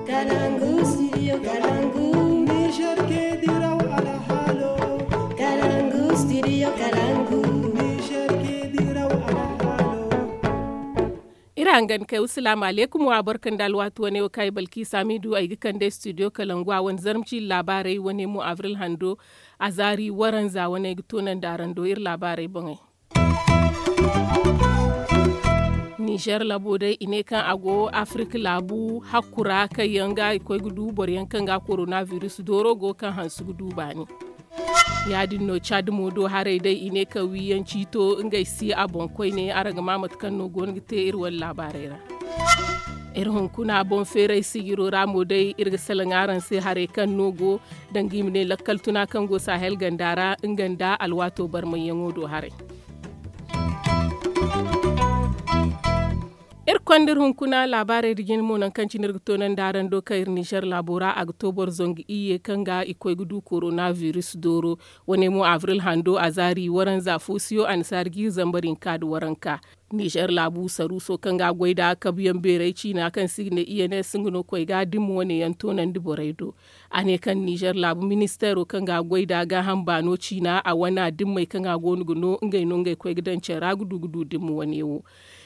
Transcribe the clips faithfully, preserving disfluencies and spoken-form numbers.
Kalangu, studio Kalangu. Niger ke diraw alhalo. Kalangu, studio Kalangu. Niger ke diraw alhalo. Iri hangan kay, wasalaamu aleykum. Wa barkan da alwaati wane wo kaŋ ay balki saamidu ay ga kande studio Kalangu a wane zarma ciili laabaarey wane mo avril hando. A zaari waranza wane ay ga toonandi araŋ do iri laabaarey boŋey. Nizer labo day i ne kaŋ a go afirika laabu hakku ra kaŋ yaŋ ga i koy ga du boro yaŋ kaŋ ga koronabiris dooro go kaŋ hanse ga du baani. Ya- din no cad mo do haray day i ne kaŋ wiiyaŋ ciito ngey si a boŋ koyne araŋ ga maa mate kaŋ no go no ga te iri wane laabaarey ra. Iri hunkuna boŋ feeray sijiro ra mo day iri ga salaŋ araŋ se haray kaŋ no go danga i ma ne lakkal tuna kaŋ go sahel ganda ra nga nda alwaato barmayyaŋo do haray. Iri konda iri hunkuna laabaarey da jina mo nangu kaŋ cine iri ga toonandi araŋ do kaŋ iri nizer laabo ra a ga to boro zangu iyye kaŋ ga i koy ga du koronabiris dooro. Wane mo abril hando a zaari waranza fo siyo annasaari ga iri zambar hinka nda waranka. Nizer laabu saruuso kaŋ ga a goy nd'a kabuyaŋ beeray ciina kaŋ se i ga ne i n s nga no koy ga dimma wane yaŋ toonandi borey do. A ne kaŋ nizer laabu ministeero kaŋ ga a goy nd'a gaaham baano ciina a wana dimmey kaŋ a go no ga no ngey no ngey koy ga daŋ care ra ga du ga du dimma wane wo.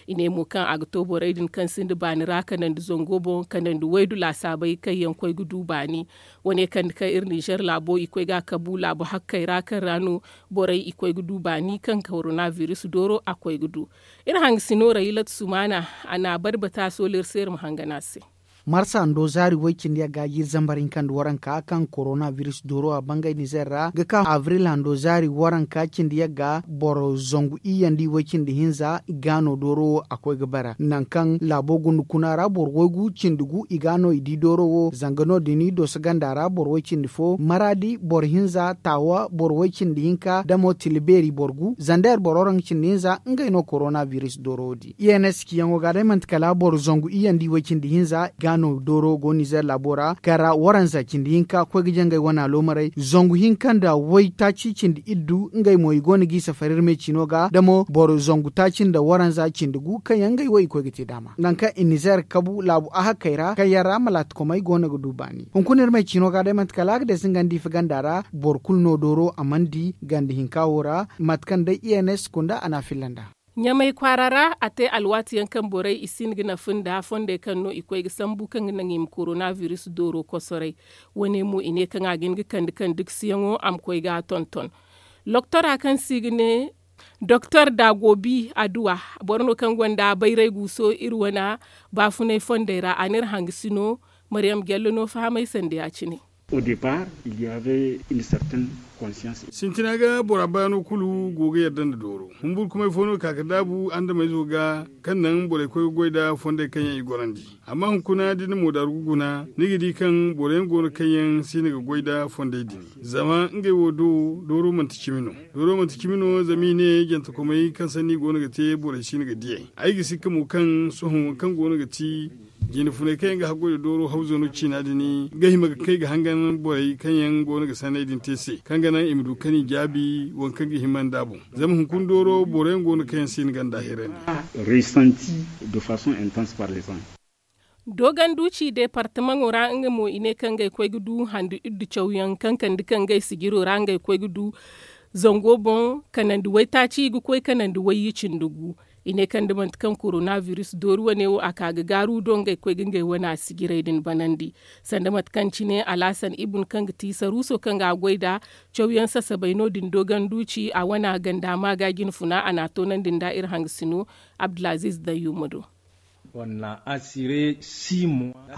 I ne mo kaŋ a ga to borey din kaŋ sinda baani ra kanandi zango boŋ kanandi waydu laasaabey kaŋ yaŋ koy ga du baani. Wane kande kaŋ iri nizer laabo i koy ga a kabu laabu hakkey ra kaŋ ra no borey i koy ga du baani kaŋ koronabiris dooro a koy ga du. Iri hangasino ra ilat sumaana a na a bari bata sola iri se iri ma hangan a se. Marsa ndo zaari woy cindi yagga jiiri zambar hinka nda waranka kaŋ koronabiris dooro a bangay nizer ra ga ka abril hando zaari waranka cindi yagga boro zangu iyye nda i woy cindi hinza i ga no dooro wo a koy ga bara nangu kaŋ laabo gunda kuna ra boro waygu cindi gu i ga no i di dooro wo zanga no- din i doso ganda ra boro woy cindi fo maraadi boro hinza taawa boro woy cindi hinka damo tila beeri boro gu zander boro rang cindi hinza ngey no koronabiris dooro wo di i n s ciyaŋo ga day manti kala boro zangu iyye nda i woy cindi hinza ga no dooro go nizer laabo ra kara waranza cindi hinka koy ga jangay wana loomaray zangu hinka nda woy taaci cindi iddu ngey mo i go no ga i safari iri me ciino ga damo boro zangu taaci nda waranza cindi gu kaŋ yaŋ ngey wo i koy ga te daama nangu kaŋ i nizer kabu laabu ahakkey ra kaŋ yaŋ ra malaatakomey go no ga du baani hunkuna iri me ciino ga day manti kala a ga deesi nga nda ifa ganda ra boro kulu no dooro a mana di ganda hinka wo ra mate kaŋ day i n s kunda a na a filla nd'a. Ɲamay kwaara ra a te alwaati yaŋ kaŋ borey i si hin ga nafa nda fondey kaŋ no i koy ga sambu kaŋ ga naŋ i ma koronabiris dooro kosoray. Wane mo i ne kaŋ a ga hin ga kande kande gisiyaŋo a ma koy ga a tonton. Loktora kaŋ se i ga ne doktor dagobi aduwa boro no kaŋ gonda bayray guuso iri wane baafunay fondey ra a n'iri hangasino. Mariyam jallo no fahamay sanda ya- cine. Au départ il y avait une certaine conscience. Sintina ga bora baano kulu go ga yadda nda dooro humburkumay fo no ka ga daabu andameyzo ga kaŋ naŋ borey koy ga goy nda fondey kaŋ yaŋ i gorandi. Amma hunkuna da ni na moodaru ga guna ni ga di kaŋ boro yaŋ go no kaŋ yaŋ si hin ga goy nda fondey din. Zama ngey wo do dooro manti cimi no. Dooro manti cimi no zama i ne jantakomey kaŋ sanni go no ga te borey si hin ga diyey. Ay ga sikka mo kaŋ sohõ waŋ kaŋ go no ga ti jine funay kaŋ yaŋ ga haggoy nda dooro hawzo no ciina din ga hima ga kay ga hangan borey kaŋ yaŋ go no ga sanney din te se kaŋ ga naŋ i ma du kaŋ i jaabi waŋ kaŋ ga hima nd'a boŋ. Zama hunkuna dooro boro yaŋ go no kaŋ yaŋ si hin ganda hirandi. Resanti de façon intense par les ans. Doganduci departamaŋo ra nga mo i ne kaŋ ga ay koy ga du handu iddu cawyaŋ kaŋ kande kaŋ ga ay sijiro ra nga ay koy ga du zango boŋ kanandi waytaaci i ga koy kanandi wayye cindi gu. I ne kaŋ da manti kaŋ koronabiris doori wane wo a ka ga gaaru do ngey koy ga ngey wane a sijirey din banandi. Sanda mate kaŋ cine alhasan ibun kaŋ ga ti saruuso kaŋ ga a goy nda cawyaŋ sasabay no- din doganduci a wane a ganda maaga jine funa a na a toonandi nda iri hangasino. Abdulaziz dayyuma do.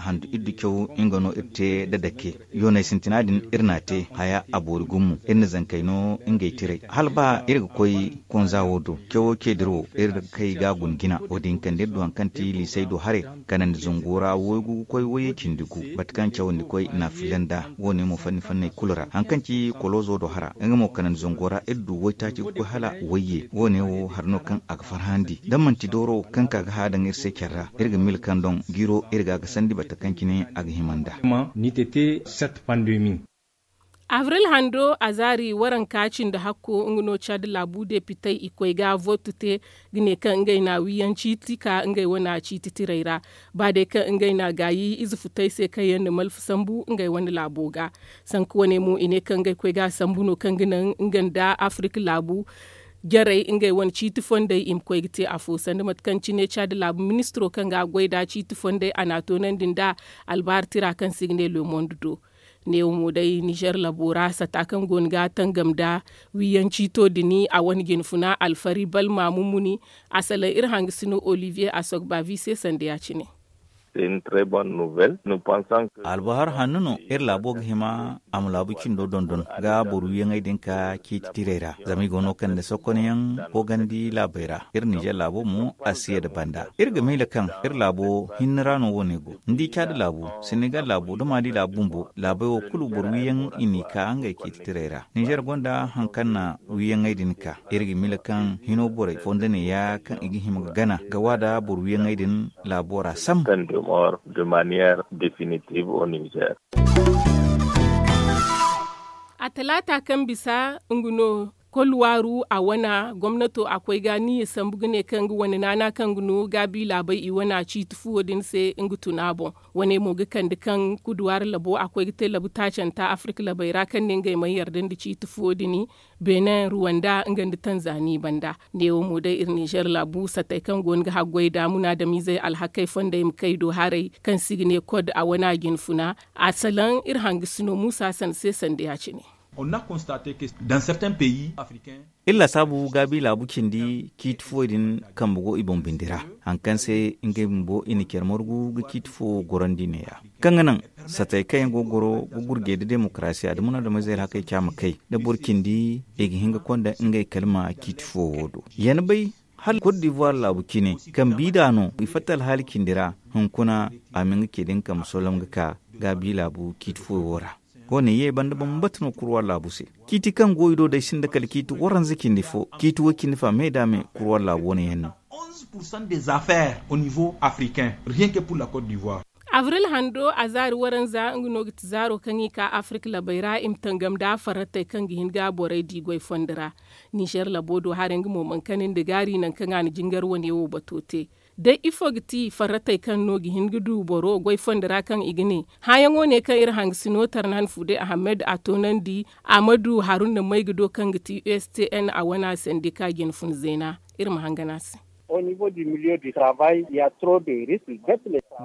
Handu iddu caw nga no iri te da dake yooney sintina din iri n'a te haya a boori gumo iri na zankey no ngey tiray hala ba iri ga koy konza wo do cawo ce dira wo iri kay ga a guna jina wo- din kande iri du hari kaŋ ti liisey do haray kanandi zango ra waygu ga koy wayye cindi gu mate kaŋ cawandi koy na a filla nd'a. Wo- ne mo fanni fanney kulu ra hari kaŋ ci kolozo do hara nga mo kanandi zango ra iri du waytaaci ga koy hala wayye wo- ne wo hari no kaŋ a ga farhandi da manti dooro kaŋ ka ga hã daŋ iri se care ra iri ga mila kaŋ doŋ jiiro iri ga a ga sandi bata kaŋ cine a ga hima nd'a. Ni tete set pandemi. Abril hando a zaari waranka cindi hakko nga no cad laabu depitey i koy ga vootu te ga ne kaŋ ngey na wiiyaŋ ciiti ka ngey wane ciiti tirey ra. Ba day kaŋ ngey na gaayi ize futey se kaŋ yaŋ na malfa sambu ngey wane laabo ga. Sanka wane mo i ne kaŋ ngey koy ga a sambu no kaŋ ga naŋ nga nda afirik laabu jarey ngey wane ciiti fondey i ma koy ga te afo sanda mate kaŋ cine caadi laabu ministiro kaŋ ga a goy nd'a ciiti fondey a n'a toonandi nd'a albaari tira kaŋ se i ga ne le monde do. Neewo mo day nizer labo ra sata kaŋ go no ga tangam nda wiiyaŋ ciito din a wane jinfuna alfari balma mumuni. A salaŋ iri hangasino olivier asogbavi se sanda ya- cine. Albahar hanno no iri laabo ga hima a ma laabu cindo dondon ga boro wiiyaŋey din ka ciiti tirey ra zama i go no kaŋ nda sokonyaŋ koogandi laabey ra. Iri ninzeer laabo mo a si ye nda banda iri ga miila kaŋ iri laabo hinne ra no wo- ne go. Ni di caadi laabu senegal laabu nda maali laabu bumbo laabey wo kulu boro wiiyaŋ i n'i ka ngey ciiti tirey ra. Ninzeer gonda hari kaŋ na wiiyaŋey din ka iri ga miila kaŋ hino borey fondo ne- ya kaŋ i ga hima ga gana ga wa nda boro wiiyaŋey din laabo ra sam. A talaata kaŋ bisa nga no kolwaaru a wana gomnato a koy ga niyya sambu ga ne kaŋ nga wane naana kaŋ ga no gaabi laabey i wana ciiti fuwo din se nga tun a boŋ. Wane mo ga kande kaŋ kuduwaari labo a koy ga te labu taacanta afirik labey ra kaŋ ne ngey mana yarda nda ciiti fuwo din. Benin ruwanda nga nda tanzani banda. Neewo mo day iri ninzeer laabu satey kaŋ go no ga haggoy nda munaadamiizey alhakey fondey ma kay do haray kaŋ se i ga ne kod a wana jinfuna. A salaŋ iri hangasino muusa sanda se sanda ya- cine. Iri laasaabu gaabi laabu cindi ciiti fuwey din kambe go i boŋ bindi ra hari kaŋ se ngey bumbo i na care margu ga ciiti fuwo gorandi ne- ya kaŋ ga naŋ satey kaŋ yaŋ go ga goro ga gurjey nda demokarasiya nda munaadamiizey alhakey caama kay nda boro cindi i ga hin ga konda ngey kalima ciiti fuwo wo do. Ya ni bay hala kot divuwar laabu cine kaŋ biida no i fatta alhaali cindi ra hunkuna a ma nga ce din kambe solom ga ka gaabi laabu ciiti fuwo wo ra. Wo- ne ye banda bambata no kurwa laabu se. Ciiti kaŋ go i do day sinda kala ciiti waranza cindi fo ciiti way cindi fa me nda me kurwa laabu wane yaŋ no. Avril hando a zaari waranza nga no ga ti zaaro kaŋ i ka afirik labey ra i ma tangam nda farratey kaŋ ga hin ga borey di goy fondo ra. Nizer labo do haray nga mo mana kani nda gaari nangu kaŋ a na jingar wane wo bato te. Day ifo ga ti farratey kaŋ no ga hin ga du boro goy fondo ra kaŋ i ga ne? Hããyaŋo ne kaŋ iri hangasino tarnan fude ahamed a toonandi. Amadu haruna may ga do kaŋ ga ti ustn a wana sandika jinfun zeena. Iri ma hangan a se.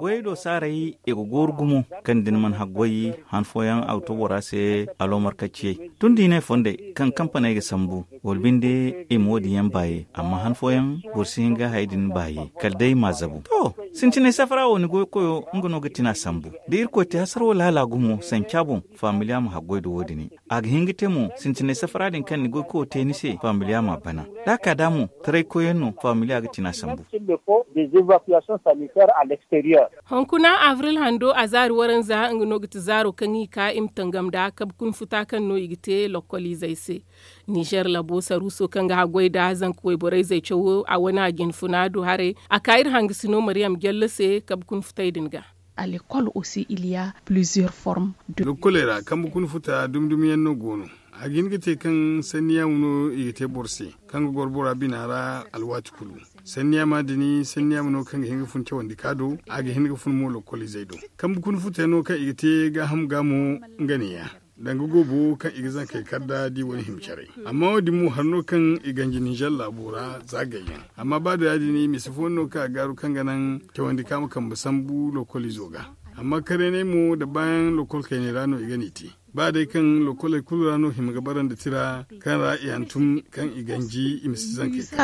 Goyey do saaray i ga gooru gumo kaŋ da ni mana haggoy han fooyaŋ a ga to bora se aloomar kacciyey tun da i ne fondey kaŋ kampaney ga sambu wala binde i ma wo- din yaŋ baaye amma han fooyaŋ boro si hin ga hayey din baaye kala day i m'a zabu to. Sintinay safara wo ni goykoyo nga no ga tina sambu da irkoy te hasaro laala gumo sanca boŋ. Faamiliya ma haggoy da wo- din a ga hin ga te mo sintinay safara din kaŋ ni goykoyo te ni se faamiliya m'a bana. Da a ka da mo taraykoyyaŋ no faamiliya ga tina sambu. Hunkuna abril hando a zaari waranza nga no ga ti zaaro kaŋ i ka i ma tangam nda kabe kuna futa kaŋ no i ga te lokkoliizey se. Nizer labo saruuso kaŋ ga haggoy nda zanka wayborey zey cawo a wane a jinfuna du haray a ka iri hangasino mariyam jalle se kabe kuna futey din ga. Lekkoley ra kambe kuna futa dumi dumi yaŋ no go no. A ga hin ga te kaŋ sanni yaamo no i ga te boro se kaŋ ga goro bora bina ra alwaati kulu. Sanni yaama din sanni yaama no kaŋ ga hin ga fun cawandi ka do a ga hin ga fun mo lokkoliizey do. Kambe kuna futa yaŋ no kaŋ i ga te gaaham ga mo nga ne- ya danga goobo kaŋ i ga zankey kar nda di wane hima care. Amma wo- din mo hari no kaŋ i ganji ninzer laabo ra za gayyaŋ. Amma ba da ya- din misa fooyaŋ no kaŋ a gaaru kaŋ ga naŋ cawandi ka ma kambe sambu lokkoliizo ga. Amma karaynay mo nda baayaŋ lokkol kaynay ra no i ga n'i te. Ba day kaŋ lokkoley kulu ra no hima ga bara nda tira kaŋ ra i hantum kaŋ i ganji i ma si zankey kaŋ.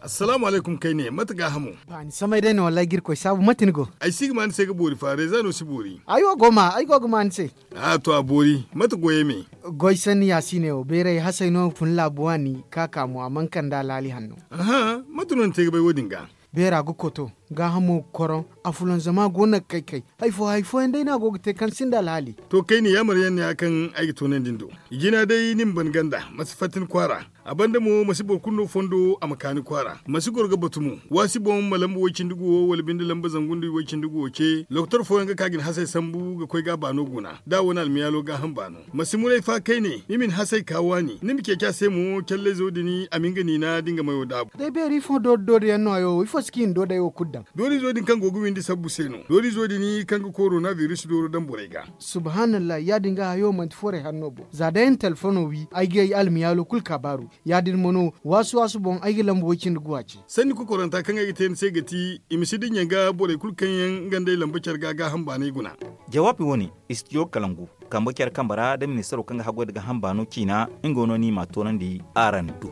Assalaamu alaykum kayne mate gaahamo? Baani samay day no wallaahi ga irkoy saabu mate ni go? Ay si ga ma ni se ga boori fa reeza no si boori. Ay wo go ma ay go ga ma ni se. A to a boori mate goyey me? Goy sanni yaasiiney wo beeray hasey no fun laabu waani ka ka mo a mana kande alhaali hanno. Aha mate no ni te ga bay wo- din ga? Beera ga koto gaahamo ga koroŋ. Afulanzama go no ga kay kay. Hari fo hari fooyaŋ day no a go ga te kaŋ sinda alhaali. To kayne yaamar yaŋ no ya kaŋ ay ga toonandi ni do. I jina day ni ma ban ganda ma si fatta ni kwaara. A banda mo ma si boro kulu no fondo a ma kaani kwaara ma si goro ga batu mo. Waasi boŋ ma lamba way-cindi guwo wala binde lamba zangu nda way-cindi guwo ce lokotor fooyaŋ ga ka ga ni hasey sambu ga koy ga a baano guna da a wane almiyaalo gaaham baano. Ma si muray fa kayne ni ma ni hasey ka waani ni ma ceeci a se mo callayzo din a ma hin ga niina da nga mayo daabu. Day beeri ifo doori doori yaŋ no hayo ifo si kaŋ i na doodey wo kulu daŋ. Doorizo din kaŋ go ga windi sabbu se no doorizo din kaŋ ga korona biris dooro daŋ borey ga. Subhaanallah ya- din ga hayo manti forey hanno boŋ za day ay na telefono wi ay ga ay almiyaalo kulu kaabaaru. Ya- din mo no waasu waasu boŋ ay ga lamba way-cindi guwa ce. Sanni kokoranta kaŋ ay ga te ni se ga ti i ma si dinya ga borey kulu kaŋ yaŋ nga nd'ey lamba care ga gaaham baanay guna. Jawaabi wane istijo kalangu kambe care kambe ra da ministaro kaŋ ga haggoy nda gaaham baano ciina nga no no i m'a toonandi. Araŋ du.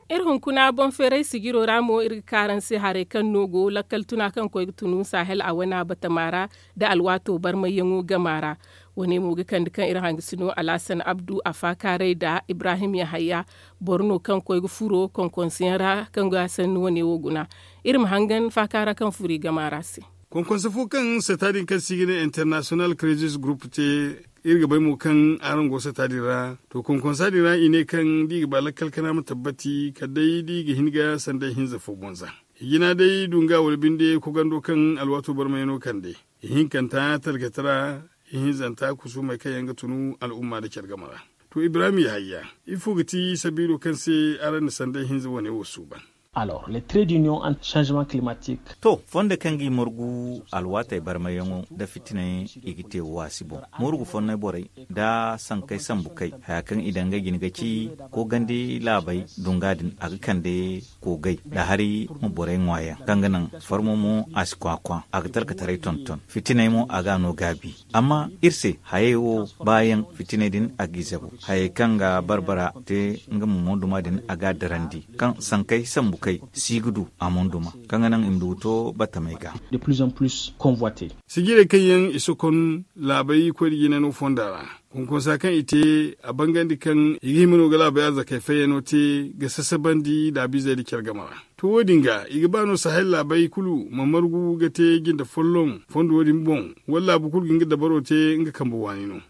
Iri hunkuna boŋ feeray sijiro ra mo iri ga ka araŋ se haray kaŋ no go lakkal tuna kaŋ koy ga tunu sahel a wana batama ra nda alwaato barmayyaŋo gama ra. Wane mo ga kande kaŋ iri hangasino alhasan abdu a faakaaray nda ibrahim yahaya boro no kaŋ koy ga furo konkonseyaŋ ra kaŋ ga sanni wane wo guna. Iri ma hangan faakaara kaŋ furo i gama ra se. Konkonse fo kaŋ sata din kaŋ se i ga ne international crisis group te iri ga bay mo kaŋ araŋ go sata din ra. To konkonsa din ra i ne kaŋ da i ga ba lakkal kana ma tabbati kala day da i ga hin ga sanday hinza fo bonza. Hijina day du nga wala binde kogando kaŋ alwaato barmayano kande ihinkanta talkata ra ihinzanta kusumey kaŋ yaŋ ga tunu al'umma nda care game ra. To ibrahim yahaya ifo ga ti sabiilo kaŋ se araŋ na sanday hinza wane wo suuban? Alors les traits d'union entre changement climatique. To fondo kaŋ ga i margu alwaatey barmayyaŋo nda fitiney i ga te waasi boŋ. Margu fonnay borey nda sankey sambu kay haya kaŋ i daŋ ga jina ga ci koogandi laabey dunga din a ga kande koogay nda hari ma borey ŋwaayaŋ kaŋ ga naŋ farmo mo a si kwakwa a ga talkataray tonton fitiney mo a ga a no gaabi. Amma iri se hayey wo baayaŋ fitiney din a g'i zabu hayey kaŋ ga barbara te nga ma monduma din a ga a darandi kaŋ sankey sambu kay si ga du a monduma kaŋ ga naŋ i ma du ga to battamey ga. De plus en plus convoite. Sijirey kaŋ yaŋ i sokon laabey koy da jinano fonda ra konkonsa kaŋ i te a bangandi kaŋ i ga hima no ga laabey arzakey fayyano te ga sasabandi daabizey nda care game ra. To wo- din ga i ga ba no sahel laabey kulu ma margu ga te jinde folloŋ fondo wo- din boŋ wala laabu kulu ga nga dabaro te nga kambe waani no.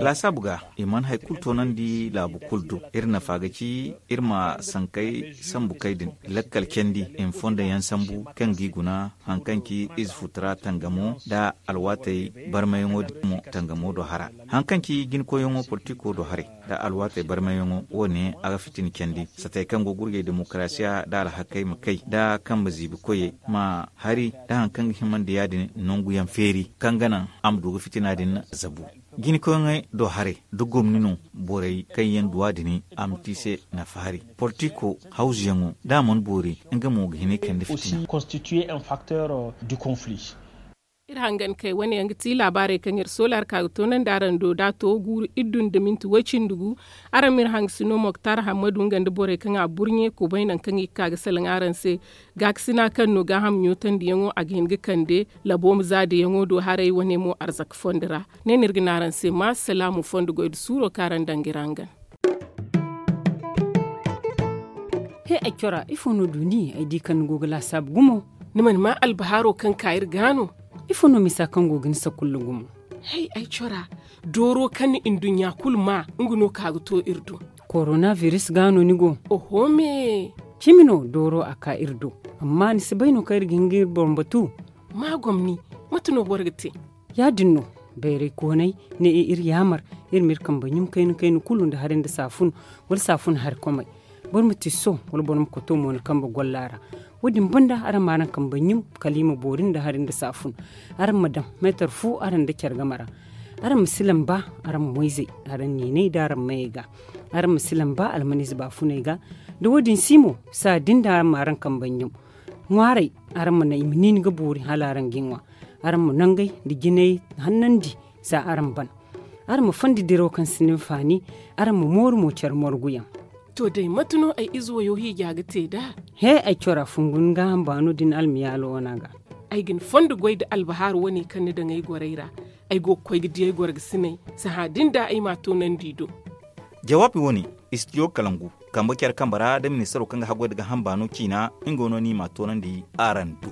Laasaabu ga i mana hari kulu toonandi laabu kulu do. Iri nafa ga ci iri ma sankey sambu kay din lakkal candi i ma fondo yaŋ sambu kaŋ g'i guna hari kaŋ ci ize futura tangamo nda alwaatey barmayaŋo din mo tangamo do hara. Hari kaŋ ci jinkoyyaŋo politiko do haray nda alwaatey barmayaŋo wo- ne a ga fitina candi satey kaŋ go ga gurjay demokarasiya nda alhakey ma kay nda kambe ziibi koyey ma hari nda hari kaŋ ga himandi ya- din nanguyaŋ feeri kaŋ ga naŋ a ma du ga fitina din zabu. Jinkoyyaŋey do haray nda gomni no borey kaŋ yaŋ duwa din a ma te i se nafa hari politiko hawzuyaŋo da a mana boori nga mo ga hin ga kande fitina. Iri hangan kay wane yaŋ ga ti laabaarey kaŋ iri soolaari ka ga toonandi araŋ do da a to guuru iddu nda minti way-cindi gu. Araŋ ma iri hangasino moktar hammadu nga nda borey kaŋ a burɲe kubay nangu kaŋ i ga ka ga salaŋ araŋ se. Gaakasina kaŋ no gaaham ɲootandiyaŋo a ga hin ga kande labo ma zaadiyaŋo do haray wane mo arzaka fondo ra. Ne no iri ga ne araŋ se ma salaamu fondo goy nda suuro kaŋ araŋ daŋ ga iri hangan. He ay cora ifo no du ni ay di kaŋ ni go ga laasaabu gumo? Ni mana maa albahaaro kaŋ ka iri ga no? Ifo no misa kaŋ go ga ni sakulla gumo? Hay ay cora dooro kaŋ ni nduɲɲa kulu maa nga no ka ga to iri do. Korona biris ga no ni go? Oho me. Cimi no dooro a ka iri do. Amma ni si bay no kaŋ iri ga hin ga iri boŋ batu? Ma gomni. Mate no boro ga te? Ya- din no. Bayray koonay ne iri yaamar iri ma iri kambe ɲum kayna kayna kulu nda hari nda saafun wala saafun hari komay. Boro ma tisso wala boro ma koto mo ni kambe golla ra. Wo- din banda araŋ ma araŋ kambe ɲum kala i ma boori nda hari nda saafun. Araŋ ma daŋ meetar fu araŋ nda care game ra. Araŋ ma si lamba araŋ moyzey araŋ niinay nda araŋ mayey ga. Araŋ ma si lamba almaniize baafuney ga. Da wo- din si mo saa din da araŋ ma araŋ kambe ɲum. Ŋwaaray araŋ ma naŋ i ma niini ga boori hala araŋ ga i ŋwa. Araŋ ma nangey nda jinay hannandi za araŋ ban. Araŋ ma fondi diraw kaŋ si ni hinfaani. Araŋ ma mooru mo care morguyaŋ. To day mate no ay ize wayo hiija ga te nd'a? He ay cora fungu ni gaaham baano da ni almiyaalo wana ga. Ay ga ni fondo goy nda albahaaru wane kaŋ ni daŋ ay gorey ra. Ay go ga koy ga di ay gorgasiney. Sahã din da ay m'a toonandi i do. Jawaabi wane istijo kalangu kambe care kambe ra nda ministaro kaŋ ga haggoy nda gaaham baano ciina nga no no i m'a toonandi. Araŋ du.